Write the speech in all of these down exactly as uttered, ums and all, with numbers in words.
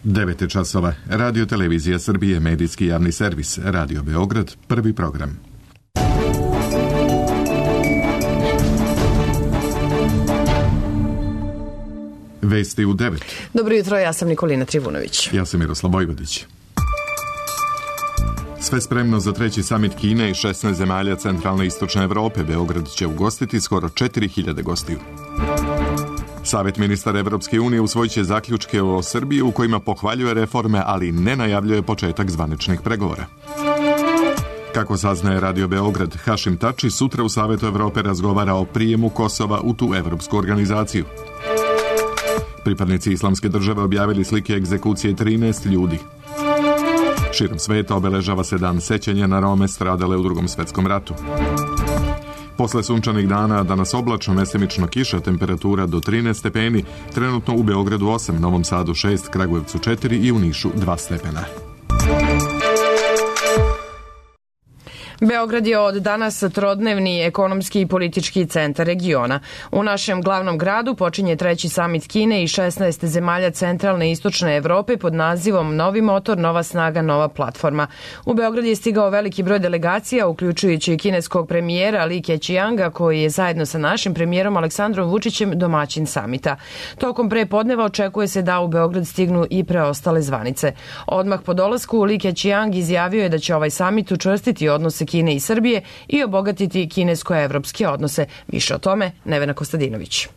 devet je časova. Radio Televizija Srbije, medijski javni servis, Radio Beograd, prvi program. Vesti u devet. Dobro jutro, ja sam Nikolina Trivunović. Ja sam Miroslav Vojvodić. Sve spremno za treći samit Kine i šesnaest zemalja centralne i istočne Evrope. Beograd će ugostiti skoro četiri hiljade gostiju. Savet ministara Evropske unije usvojit će zaključke o Srbiji u kojima pohvaljuje reforme, ali ne najavljuje početak zvaničnih pregovora. Kako saznaje Radio Beograd, Hašim Tači sutra u Savetu Evrope razgovara o prijemu Kosova u tu evropsku organizaciju. Pripadnici Islamske države objavili slike egzekucije trinaest ljudi. Širom sveta obeležava se dan sećanja na Rome stradale u Drugom svetskom ratu. Posle sunčanih dana, danas oblačno, mesemično kiša, temperatura do trinaest stepeni, trenutno u Beogradu osam, Novom Sadu šest, Kragujevcu četiri i u Nišu dva stepena. Beograd je od danas trodnevni ekonomski i politički centar regiona. U našem glavnom gradu počinje treći samit Kine i šesnaest zemalja centralne i istočne Evrope pod nazivom Novi motor, nova snaga, nova platforma. U Beograd je stigao veliki broj delegacija, uključujući i kineskog premijera Li Keqianga, koji je zajedno sa našim premijerom Aleksandrom Vučićem domaćin samita. Tokom prepodneva očekuje se da u Beograd stignu i preostale zvanice. Odmah po dolasku Li Keqiang izjavio je da će ovaj samit učvrstiti odnose Kine i Srbije i obogatiti kinesko-evropske odnose. Više o tome Nevena Kostadinović.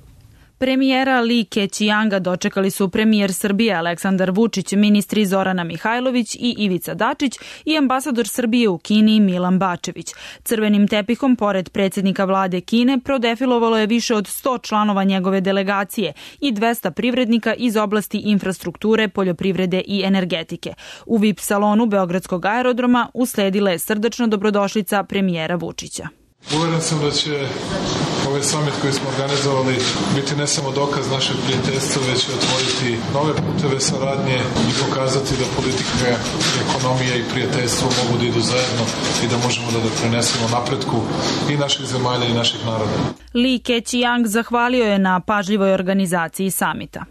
Premijera Li Keqianga dočekali su premijer Srbije Aleksandar Vučić, ministri Zorana Mihajlović i Ivica Dačić i ambasador Srbije u Kini Milan Bačević. Crvenim tepihom, pored predsjednika vlade Kine, prodefilovalo je više od sto članova njegove delegacije i dvesta privrednika iz oblasti infrastrukture, poljoprivrede i energetike. U V I P salonu Beogradskog aerodroma usledila je srdačna dobrodošlica premijera Vučića. Uveren sam da će ovaj samit koji smo organizovali biti ne samo dokaz našeg prijateljstva, već će otvoriti nove puteve saradnje i pokazati da politika, ekonomija i prijateljstvo mogu da idu zajedno i da možemo da doprinesemo napretku i naših zemalja i naših naroda. Li Keqiang zahvalio je na pažljivoj organizaciji samita.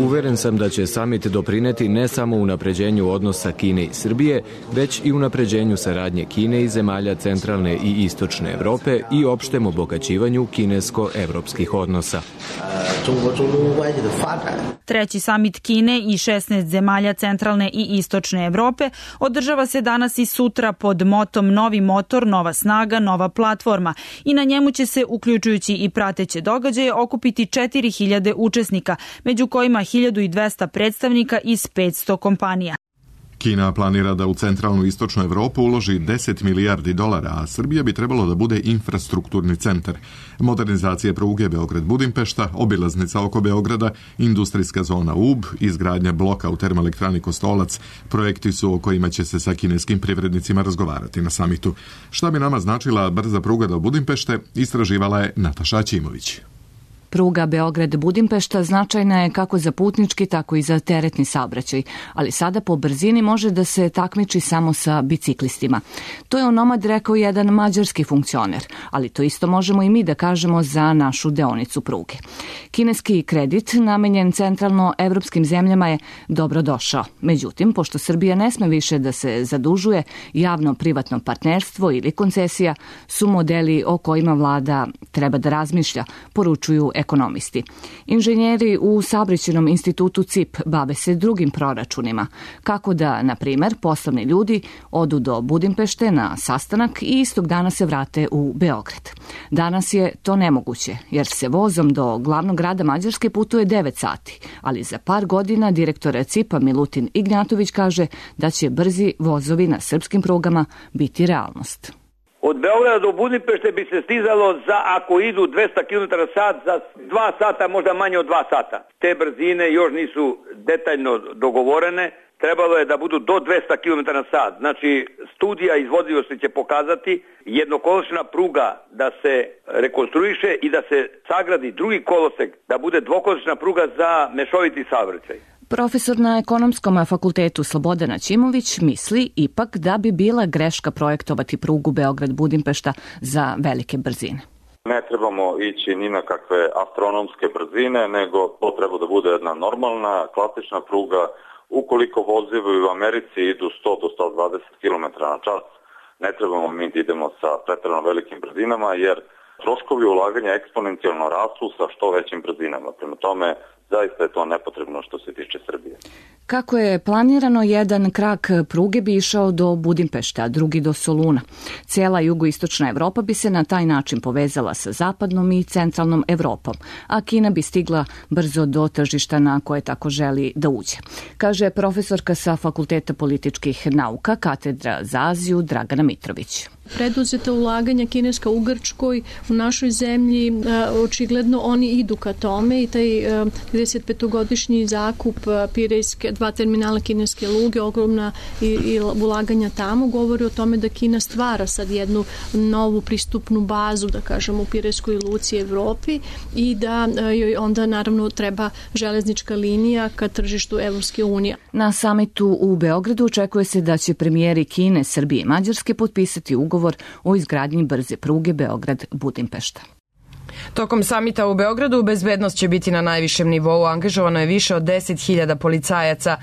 Uveren sam da će samit doprineti ne samo unapređenju odnosa Kine i Srbije, već i unapređenju saradnje Kine i zemalja centralne i istočne Evrope i opštem obogaćivanju kinesko-evropskih odnosa. Treći samit Kine i šesnaest zemalja centralne i istočne Evrope održava se danas i sutra pod motom Novi motor, nova snaga, nova platforma i na njemu će se, uključujući i prateće događaje, okupiti četiri hiljade učesnika, među kojima hiljadu dvesta predstavnika iz petsto kompanija. Kina planira da u centralnu i istočnu Evropu uloži deset milijardi dolara, a Srbija bi trebalo da bude infrastrukturni centar. Modernizacija pruge Beograd-Budimpešta, obilaznica oko Beograda, industrijska zona U B, izgradnja bloka u termoelektrani Kostolac, projekti su o kojima će se sa kineskim privrednicima razgovarati na samitu. Šta bi nama značila brza pruga do Budimpešte, istraživala je Nataša Ćimović. Pruga Beograd-Budimpešta značajna je kako za putnički, tako i za teretni saobraćaj, ali sada po brzini može da se takmiči samo sa biciklistima. To je onomad rekao jedan mađarski funkcioner, ali to isto možemo i mi da kažemo za našu deonicu pruge. Kineski kredit namenjen centralno-evropskim zemljama je dobro došao. Međutim, pošto Srbija ne sme više da se zadužuje, javno-privatno partnerstvo ili koncesija su modeli o kojima vlada treba da razmišlja, poručuju ekonomisti. Inženjeri u Saobraćajnom institutu C I P bave se drugim proračunima, kako da, na primer, poslovni ljudi odu do Budimpešte na sastanak i istog dana se vrate u Beograd. Danas je to nemoguće, jer se vozom do glavnog grada Mađarske putuje devet sati, ali za par godina direktor C I P-a Milutin Ignjatović kaže da će brzi vozovi na srpskim prugama biti realnost. Od Beograda do Budimpešte bi se stizalo za, ako idu dvesta kilometara sat, za dva sata, možda manje od dva sata. Te brzine još nisu detaljno dogovorene, trebalo je da budu do dvesta kilometara sat. Znači, studija izvodljivosti će pokazati jednokolosečna pruga da se rekonstruiše i da se sagradi drugi kolosek, da bude dvokolosečna pruga za mešoviti saobraćaj. Profesor na Ekonomskom fakultetu Slobodana Ćimović misli ipak da bi bila greška projektovati prugu Beograd-Budimpešta za velike brzine. Ne trebamo ići ni na kakve astronomske brzine, nego to treba da bude jedna normalna, klasična pruga. Ukoliko vozovi u Americi idu sto do sto dvadeset kilometara na čas, ne trebamo mi da idemo sa preterano velikim brzinama, jer troškovi ulaganja eksponencijalno rastu sa što većim brzinama. Prema tome, zaista je to nepotrebno što se tiče Srbije. Kako je planirano, jedan krak pruge bi išao do Budimpešte, a drugi do Soluna. Cijela jugoistočna Evropa bi se na taj način povezala sa zapadnom i centralnom Evropom, a Kina bi stigla brzo do tržišta na koje tako želi da uđe. Kaže profesorka sa Fakulteta političkih nauka, katedra za Aziju, Dragana Mitrović. Preduzeta ulaganja kineska u Grčkoj, u našoj zemlji, očigledno oni idu ka tome i taj trideset petogodišnji zakup Pirejske, dva terminala kineske luge, ogromna i, i ulaganja tamo, govori o tome da Kina stvara sad jednu novu pristupnu bazu, da kažemo, u Pirejskoj luci Evropi i da joj onda naravno treba železnička linija ka tržištu Evropske unije. Na samitu u Beogradu očekuje se da će premijeri Kine, Srbije i Mađarske potpisati ugovor o izgradnji brze pruge Beograd-Budimpešta. Tokom samita u Beogradu bezbednost će biti na najvišem nivou. Angažovano je više od deset hiljada policajaca.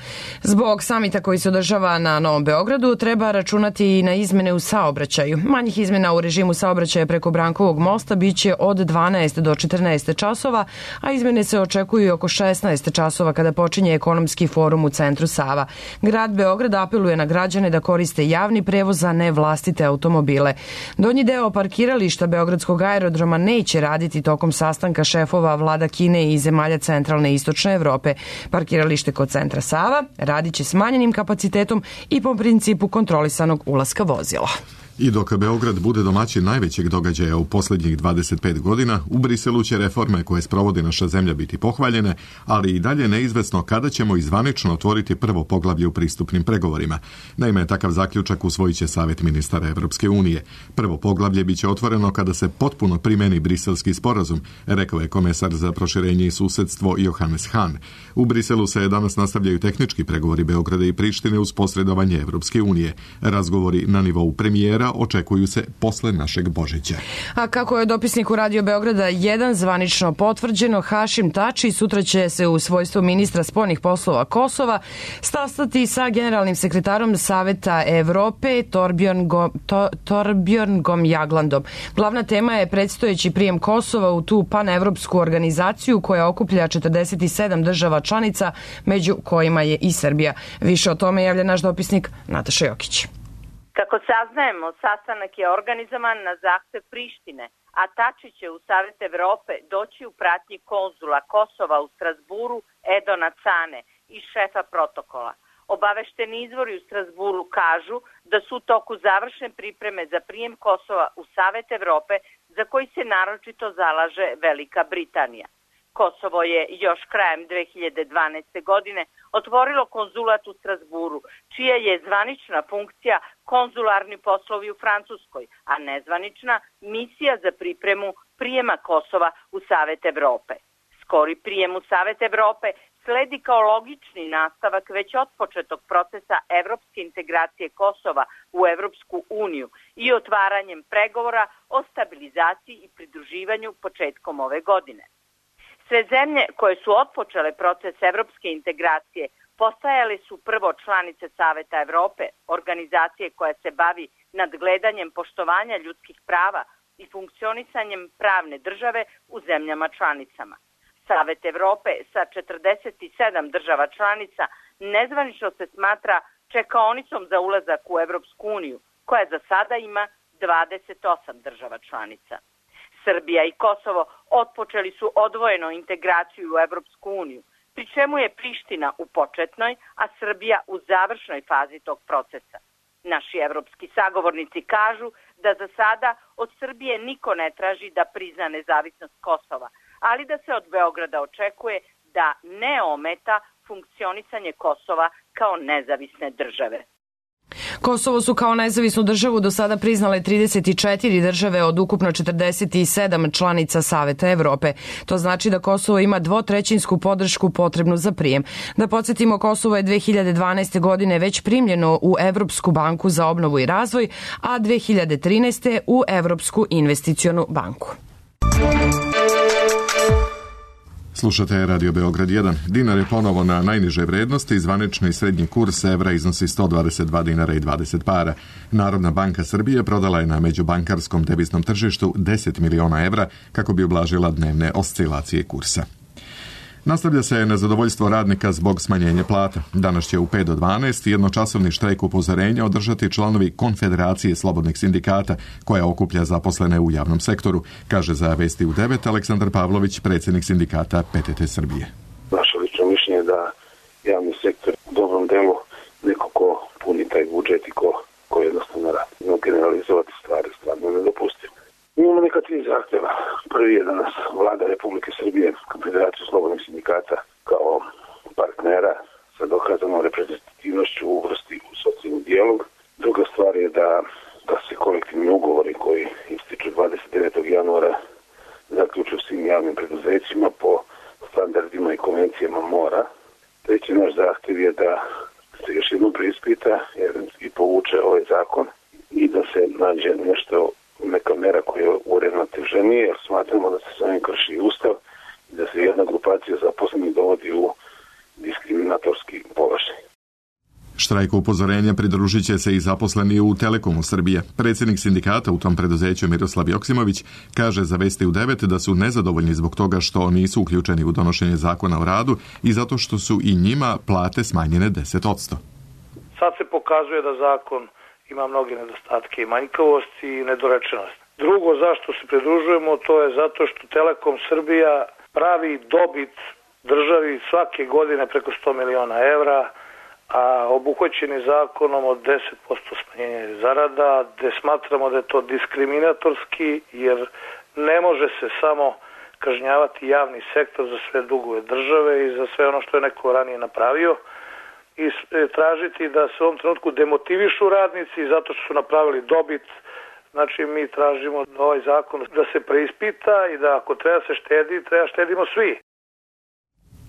Zbog samita koji se održava na Novom Beogradu treba računati i na izmene u saobraćaju. Manjih izmena u režimu saobraćaja preko Brankovog mosta biće od dvanaest do četrnaest časova, a izmene se očekuju oko šesnaest časova kada počinje ekonomski forum u centru Sava. Grad Beograd apeluje na građane da koriste javni prevoz, a ne vlastite automobile. Donji deo parkirališta Beogradskog aerodroma neće raditi tokom sastanka šefova vlada Kine i zemalja centralne i istočne Evrope. Parkiralište kod centra Sava radit će smanjenim kapacitetom i po principu kontrolisanog ulaska vozila. I dok Beograd bude domaćin najvećeg događaja u posljednjih dvadeset pet godina, u Briselu će reforme koje sprovodi naša zemlja biti pohvaljene, ali i dalje neizvesno kada ćemo izvanično otvoriti prvo poglavlje u pristupnim pregovorima. Naime, takav zaključak usvojit će Savet ministara Evropske unije. Prvo poglavlje biće otvoreno kada se potpuno primeni briselski sporazum, rekao je komesar za proširenje i susedstvo Johannes Hahn. U Briselu se danas nastavljaju tehnički pregovori Beograda i Prištine uz posredovanje Evropske unije. Razgovori na nivou premijera očekuju se posle našeg Božića. A kako je dopisniku Radio Beograda jedan zvanično potvrđeno, Hašim Tači sutra će se u svojstvu ministra spoljnih poslova Kosova sastati sa generalnim sekretarom Saveta Evrope Torbjörn, to, Torbjörn Jaglandom. Glavna tema je predstojeći prijem Kosova u tu panevropsku organizaciju koja okuplja četrdeset sedam država članica, među kojima je i Srbija. Više o tome javlja naš dopisnik Nataša Jokić. Kako saznajemo, sastanak je organizovan na zahtev Prištine, a Tači će u Savet Evrope doći u pratnji konzula Kosova u Strasburu Edona Cane i šefa protokola. Obavešteni izvori u Strasburu kažu da su u toku završne pripreme za prijem Kosova u Savet Evrope, za koji se naročito zalaže Velika Britanija. Kosovo je još krajem dve hiljade dvanaeste. godine otvorilo konzulat u Strasburu, čija je zvanična funkcija konzularni poslovi u Francuskoj, a nezvanična misija za pripremu prijema Kosova u Savet Evrope. Skori prijem u Savet Evrope sledi kao logični nastavak već otpočetog procesa evropske integracije Kosova u Evropsku uniju i otvaranjem pregovora o stabilizaciji i pridruživanju početkom ove godine. Sve zemlje koje su otpočele proces evropske integracije postajale su prvo članice Saveta Evrope, organizacije koja se bavi nadgledanjem poštovanja ljudskih prava i funkcionisanjem pravne države u zemljama članicama. Savet Evrope sa četrdeset sedam država članica nezvanično se smatra čekaonicom za ulazak u Evropsku uniju, koja za sada ima dvadeset osam država članica. Srbija i Kosovo otpočeli su odvojeno integraciju u Evropsku uniju, pri čemu je Priština u početnoj, a Srbija u završnoj fazi tog procesa. Naši evropski sagovornici kažu da za sada od Srbije niko ne traži da prizna nezavisnost Kosova, ali da se od Beograda očekuje da ne ometa funkcionisanje Kosova kao nezavisne države. Kosovo su kao nezavisnu državu do sada priznale trideset četiri države od ukupno četrdeset sedam članica Saveta Evrope. To znači da Kosovo ima dvotrećinsku podršku potrebnu za prijem. Da podsjetimo, Kosovo je dve hiljade dvanaeste. godine već primljeno u Evropsku banku za obnovu i razvoj, a dve hiljade trinaeste. u Evropsku investicionu banku. Slušate Radio Beograd jedan. Dinar je ponovo na najniže vrednosti, zvanični srednji kurs evra iznosi sto dvadeset dva dinara i dvadeset para. Narodna banka Srbije prodala je na međubankarskom deviznom tržištu deset miliona evra kako bi ublažila dnevne oscilacije kursa. Nastavlja se nezadovoljstvo radnika zbog smanjenja plata. Danas će u pet do dvanaest jednočasovni štrajk upozorenja održati članovi Konfederacije slobodnih sindikata, koja okuplja zaposlene u javnom sektoru, kaže za Vesti u devet Aleksandar Pavlović, predsjednik sindikata P T T Srbije. Naše lično mišljenje je da javni sektor u dobrom delu neko ko puni taj budžet i ko, ko jednostavno radi. No, generalizovati stvari stvarno nedopustivo. Imamo neka tri zahtjeva. Prvi je da nas vlada Republike Srbije, Konfederaciju slobodnih sindikata, kao partnera sa dokazanom reprezentativnošću uvrsti u socijalni dijalog. Druga stvar je da, da se kolektivni ugovori koji ističu dvadeset devetog januara zaključuju svim javnim preduzećima po standardima i konvencijama mora. Treći naš zahtjev je da se još jednom preispita i povuče ovaj zakon i da se nađe nešto, neka mera koja je uravnoteženija, jer smatramo da se s ovim krši ustav i da se jedna grupacija zaposlenih dovodi u diskriminatorski položaj. Štrajku upozorenja pridružit će se i zaposleni u Telekomu Srbije. Predsjednik sindikata u tom preduzeću Miroslav Joksimović kaže za Vesti u devet da su nezadovoljni zbog toga što nisu uključeni u donošenje zakona o radu i zato što su i njima plate smanjene deset posto. Sad se pokazuje da zakon ima mnoge nedostatke i manjkavosti i nedorečenosti. Drugo, zašto se pridružujemo, to je zato što Telekom Srbija pravi dobit državi svake godine preko sto miliona evra, a obuhvaćeni zakonom od deset posto smanjenja zarada, gde smatramo da je to diskriminatorski, jer ne može se samo kažnjavati javni sektor za sve dugove države i za sve ono što je neko ranije napravio, i tražiti da se u ovom trenutku demotivišu radnici zato što su napravili dobit. Znači, mi tražimo da ovaj zakon da se preispita i da ako treba se štedi, treba štedimo svi.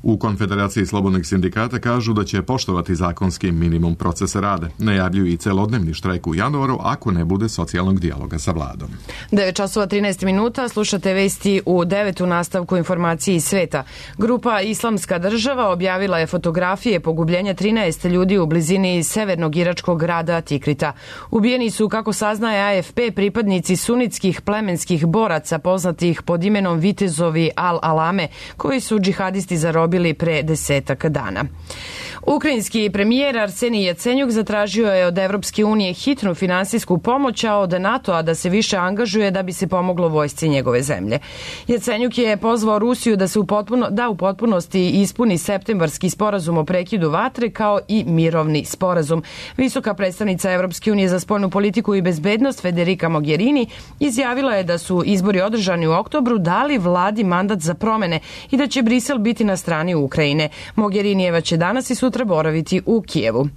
U Konfederaciji slobodnih sindikata kažu da će poštovati zakonski minimum procesa rada. Najavljuju i celodnevni štrajk u januaru ako ne bude socijalnog dijaloga sa vladom. devet časova trinaest minuta, slušate Vesti u devet u nastavku informacije iz sveta. Grupa Islamska država objavila je fotografije pogubljenja trinaest ljudi u blizini severnog iračkog grada Tikrita. Ubijeni su, kako saznaje A F P, pripadnici sunitskih plemenskih boraca poznatih pod imenom Vitezovi Al-Alame, koji su džihadisti zarobili bili pre desetak dana. Ukrajinski premijer Arsenij Jacenjuk zatražio je od Evropske unije hitnu finansijsku pomoć, a od NATO-a da se više angažuje da bi se pomoglo vojsci njegove zemlje. Jacenjuk je pozvao Rusiju da se u potpuno, da u potpunosti ispuni septembarski sporazum o prekidu vatre kao i mirovni sporazum. Visoka predstavnica Evropske unije za spoljnu politiku i bezbednost Federica Mogherini izjavila je da su izbori održani u oktobru dali vladi mandat za promene i da će Brisel biti na strani Ukrajine. Mogherinijeva će danas i sutra boraviti u Kijevu.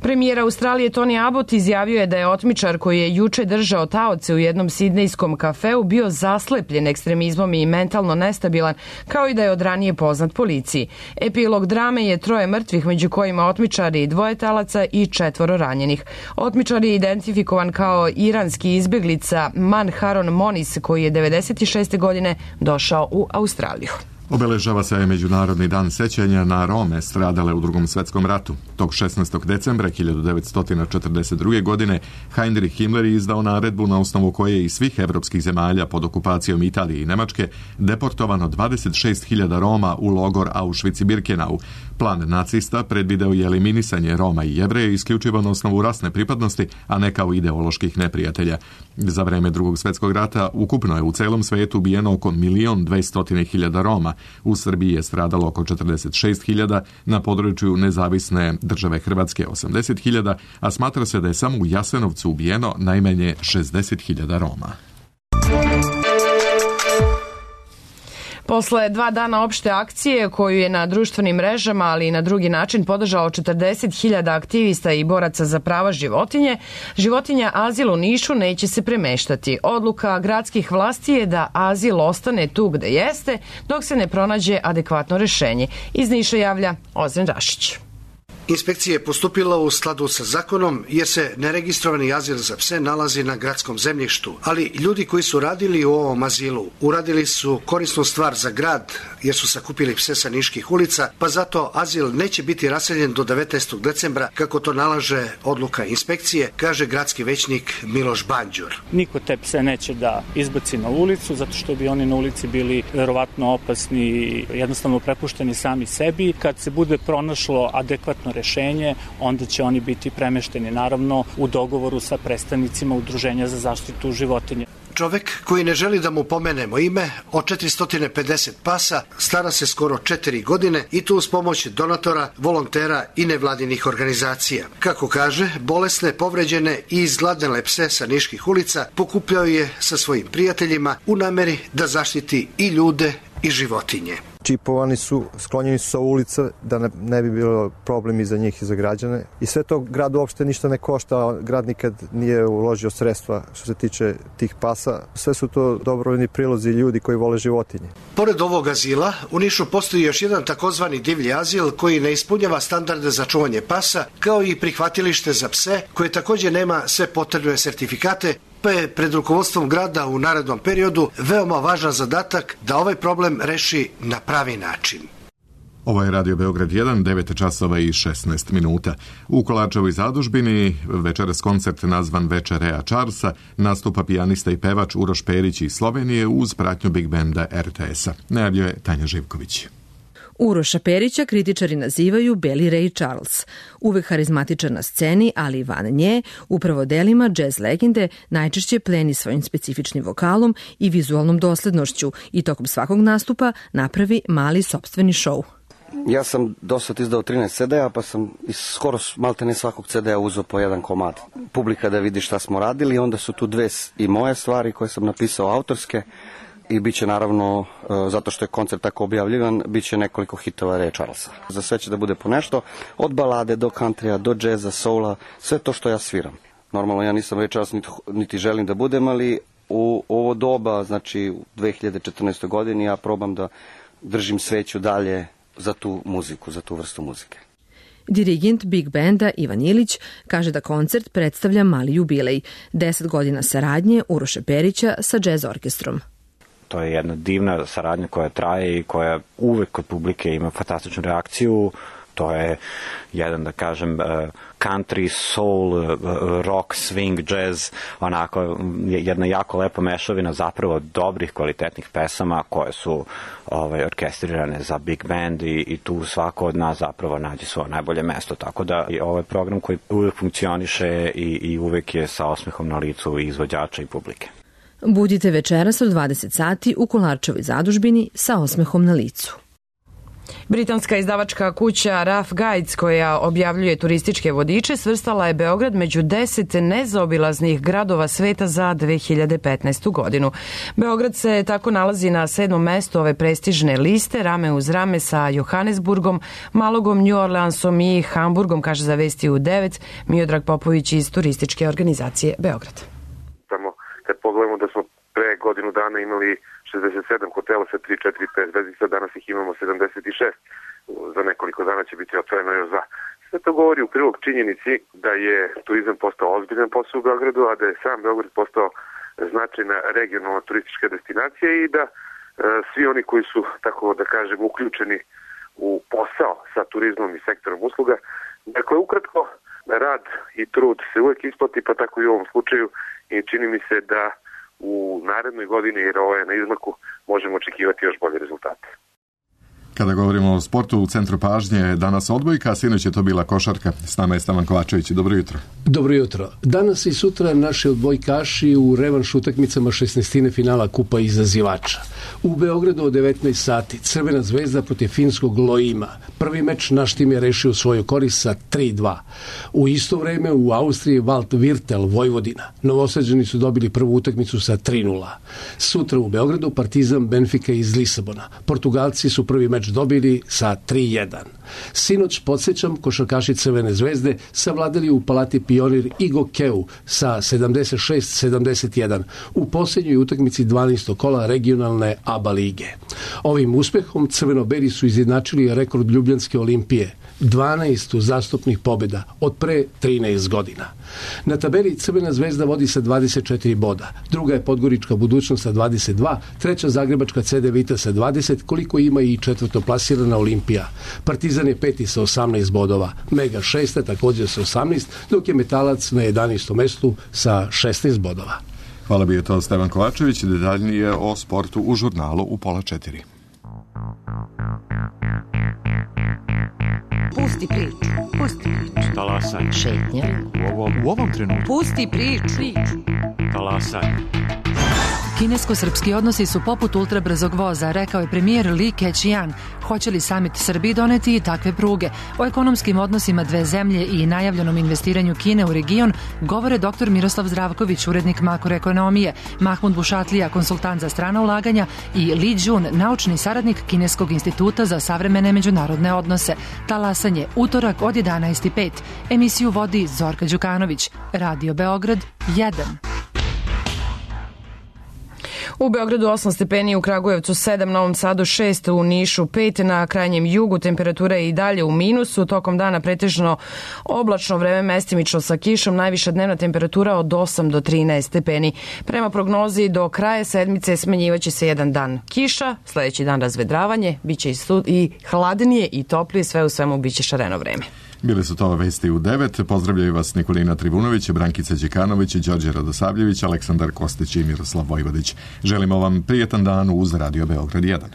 Premijer Australije Tony Abbott izjavio je da je otmičar koji je juče držao taoce u jednom sidnejskom kafeu bio zaslepljen ekstremizmom i mentalno nestabilan, kao i da je od ranije poznat policiji. Epilog drame je troje mrtvih, među kojima otmičari, dvoje talaca i četvoro ranjenih. Otmičar je identifikovan kao iranski izbjeglica Manharon Monis, koji je devedeset šeste godine došao u Australiju. Obeležava se Međunarodni dan sećanja na Rome stradale u Drugom svjetskom ratu. Tog šesnaestog decembra hiljadu devetsto četrdeset druge. godine Heinrich Himmler je izdao naredbu na osnovu koje je iz svih evropskih zemalja pod okupacijom Italije i Nemačke deportovano dvadeset šest hiljada Roma u logor Auschwitz i Birkenau. Plan nacista predvideo je eliminisanje Roma i Jevreja isključivo na osnovu rasne pripadnosti, a ne kao ideoloških neprijatelja. Za vreme Drugog svjetskog rata ukupno je u celom svetu ubijeno oko milion dvesta hiljada Roma. U Srbiji je stradalo oko četrdeset šest hiljada, na području nezavisne države Hrvatske osamdeset hiljada, a smatra se da je samo u Jasenovcu ubijeno najmanje šezdeset hiljada Roma. Posle dva dana opšte akcije koju je na društvenim mrežama, ali i na drugi način podržao četrdeset hiljada aktivista i boraca za prava životinje, životinja Azil u Nišu neće se premeštati. Odluka gradskih vlasti je da Azil ostane tu gde jeste, dok se ne pronađe adekvatno rešenje. Iz Niša javlja Ozren Rašić. Inspekcija je postupila u skladu sa zakonom jer se neregistrovani azil za pse nalazi na gradskom zemljištu, ali ljudi koji su radili u ovom azilu uradili su korisnu stvar za grad jer su sakupili pse sa niških ulica, pa zato azil neće biti raseljen do devetnaestog decembra kako to nalaže odluka inspekcije, kaže gradski većnik Miloš Banđur. Niko te pse neće da izbaci na ulicu zato što bi oni na ulici bili verovatno opasni i jednostavno prepušteni sami sebi. Kad se bude pronašlo adekvatno rešenje, onda će oni biti premešteni naravno u dogovoru sa predstavnicima Udruženja za zaštitu životinja. Čovek koji ne želi da mu pomenemo ime, od četiristo pedeset pasa, stara se skoro četiri godine i to uz pomoć donatora, volontera i nevladinih organizacija. Kako kaže, bolesne, povređene i izgladnele pse sa niških ulica pokupljao je sa svojim prijateljima u nameri da zaštiti i ljude i životinje. Čipovani su, sklonjeni su sa ulica da ne, ne bi bilo problemi za njih i za građane. I sve to grad uopšte ništa ne košta, grad nikad nije uložio sredstva što se tiče tih pasa. Sve su to dobrovoljni prilozi ljudi koji vole životinje. Pored ovog azila, u Nišu postoji još jedan takozvani divlji azil koji ne ispunjava standarde za čuvanje pasa, kao i prihvatilište za pse koje takođe nema sve potrebne sertifikate, pa je pred rukovodstvom grada u narednom periodu veoma važan zadatak da ovaj problem reši na pravi način. Ovo je Radio Beograd jedan, devet časova i šesnaest minuta. U Kolarčevoj zadužbini večeras koncert nazvan Večer Rea Charlesa nastupa pijanista i pevač Uroš Perić iz Slovenije uz pratnju Big Benda er te esa. Najavljuje je Tanja Živković. Uroša Perića kritičari nazivaju Beli Ray Charles. Uvek harizmatičan na sceni, ali i van nje, upravo delima džez legende najčešće pleni svojim specifičnim vokalom i vizualnom doslednošću i tokom svakog nastupa napravi mali sopstveni šou. Ja sam do sad izdao trinaest ce de a, pa sam iz skoro maltene svakog ce de a uzeo po jedan komad. Publika da vidi šta smo radili, onda su tu dve i moje stvari koje sam napisao autorske, i bit će naravno, zato što je koncert tako objavljivan, bit će nekoliko hitova Ray Charlesa. Za sve će da bude po nešto, od balade do countrya, do džeza, soula, sve to što ja sviram. Normalno ja nisam Ray Charles, niti, niti želim da budem, ali u ovo doba, znači u dve hiljade četrnaestoj godini, ja probam da držim sveću dalje za tu muziku, za tu vrstu muzike. Dirigent Big Benda Ivan Ilić kaže da koncert predstavlja mali jubilej, deset godina saradnje Uroša Perića sa džez orkestrom. To je jedna divna saradnja koja traje i koja uvek kod publike ima fantastičnu reakciju. To je jedan, da kažem, country, soul, rock, swing, jazz, onako jedna jako lepa mešavina zapravo dobrih, kvalitetnih pesama koje su ovaj, orkestrirane za big band i, i tu svako od nas zapravo nađe svoje najbolje mesto. Tako da je ovaj program koji uvek funkcioniše i, i uvek je sa osmehom na licu i izvođača i publike. Budite večeras od dvadeset sati u Kolarčevoj zadužbini sa osmehom na licu. Britanska izdavačka kuća Rough Guides, koja objavljuje turističke vodiče, svrstala je Beograd među deset nezaobilaznih gradova sveta za dve hiljade petnaestu godinu. Beograd se tako nalazi na sedmom mestu ove prestižne liste, rame uz rame sa Johannesburgom, Malogom, New Orleansom i Hamburgom, kaže za Vesti u devet Miodrag Popović iz turističke organizacije Beograd. Samo kad pogledamo da smo pre godinu dana imali šezdeset sedam hotela sa tri, četiri, pet zvezdica, danas ih imamo sedamdeset šest. Za nekoliko dana će biti otvoreno još dva. Sve to govori u prilog činjenici da je turizam postao ozbiljan posao u Beogradu, a da je sam Beograd postao značajna regionalna turistička destinacija i da e, svi oni koji su, tako da kažem, uključeni u posao sa turizmom i sektorom usluga, dakle, ukratko, rad i trud se uvek isplati, pa tako i u ovom slučaju, i čini mi se da u narednoj godini, jer ovo je na izmaku, možemo očekivati još bolje rezultate. Kada govorimo o sportu, u centru pažnje danas odbojka, a sinoć je to bila košarka. S nama je Stavan Kovačević. Dobro jutro. Dobro jutro. Danas i sutra naši odbojkaši u revanš utakmicama šesnaestine finala Kupa izazivača. U Beogradu od devetnaest sati Crvena zvezda protiv finskog Loima. Prvi meč naš tim je rešio u svoju korist sa tri dva. U isto vreme u Austriji Walt Virtel, Vojvodina. Novosađani su dobili prvu utakmicu sa tri nula. Sutra u Beogradu Partizan Benfica iz Lisabona. Portugalci su prvi meč meč dobili sa tri jedan. Sinoć, podsjećam, košarkaši Crvene zvezde savladali u Palati Pionir i Gokeu sa sedamdeset šest sedamdeset jedan u posljednjoj utakmici dvanaestog kola regionalne A B A lige. Ovim uspehom crveno-beli su izjednačili rekord Ljubljanske Olimpije, dvanaest uzastopnih pobjeda od pre trinaest godina. Na tabeli Crvena zvezda vodi sa dvadeset četiri boda, druga je Podgorička Budućnost sa dvadeset dva, treća Zagrebačka C D Vita sa dvadeset, koliko ima i četvrtoplasirana Olimpija. Partizan je peti sa osamnaest bodova, Mega šesta također sa osamnaest, dok je Metalac na jedanaestom mestu sa šesnaest bodova. Hvala, bio je to Stevan Kovačević, detaljnije o sportu u žurnalu u pola četiri. Pusti priču, pusti priču. Talasaj. Šetnja. U ovom, u ovom trenutku. Pusti priču. Talasaj. Kinesko-srpski odnosi su poput ultrabrzog voza, rekao je premijer Li Keqiang. Hoće li samit Srbiji doneti i takve pruge? O ekonomskim odnosima dve zemlje i najavljenom investiranju Kine u region govore dr Miroslav Zdravković, urednik makroekonomije, Mahmud Bušatlija, konsultant za strana ulaganja i Li Jun, naučni saradnik Kineskog instituta za savremene međunarodne odnose. Talasanje, utorak od jedanaest i pet. Emisiju vodi Zorka Đukanović. Radio Beograd jedan. U Beogradu osam stepeni, u Kragujevcu sedam, Novom Sadu šest, u Nišu pet, na krajnjem jugu temperatura je i dalje u minusu, tokom dana pretežno oblačno vreme mestimično sa kišom, najviša dnevna temperatura od osam do trinaest stepeni. Prema prognozi do kraja sedmice smenjivaće se jedan dan kiša, sledeći dan razvedravanje, biće i, stud, i hladnije i toplije, sve u svemu biće šareno vreme. Bile su to vesti u devet. Pozdravljaju vas Nikolina Trivunović, Brankica Đekanović, Đorđe Radosavljević, Aleksandar Kostić i Miroslav Vojvodić. Želimo vam prijetan dan uz Radio Beograd jedan.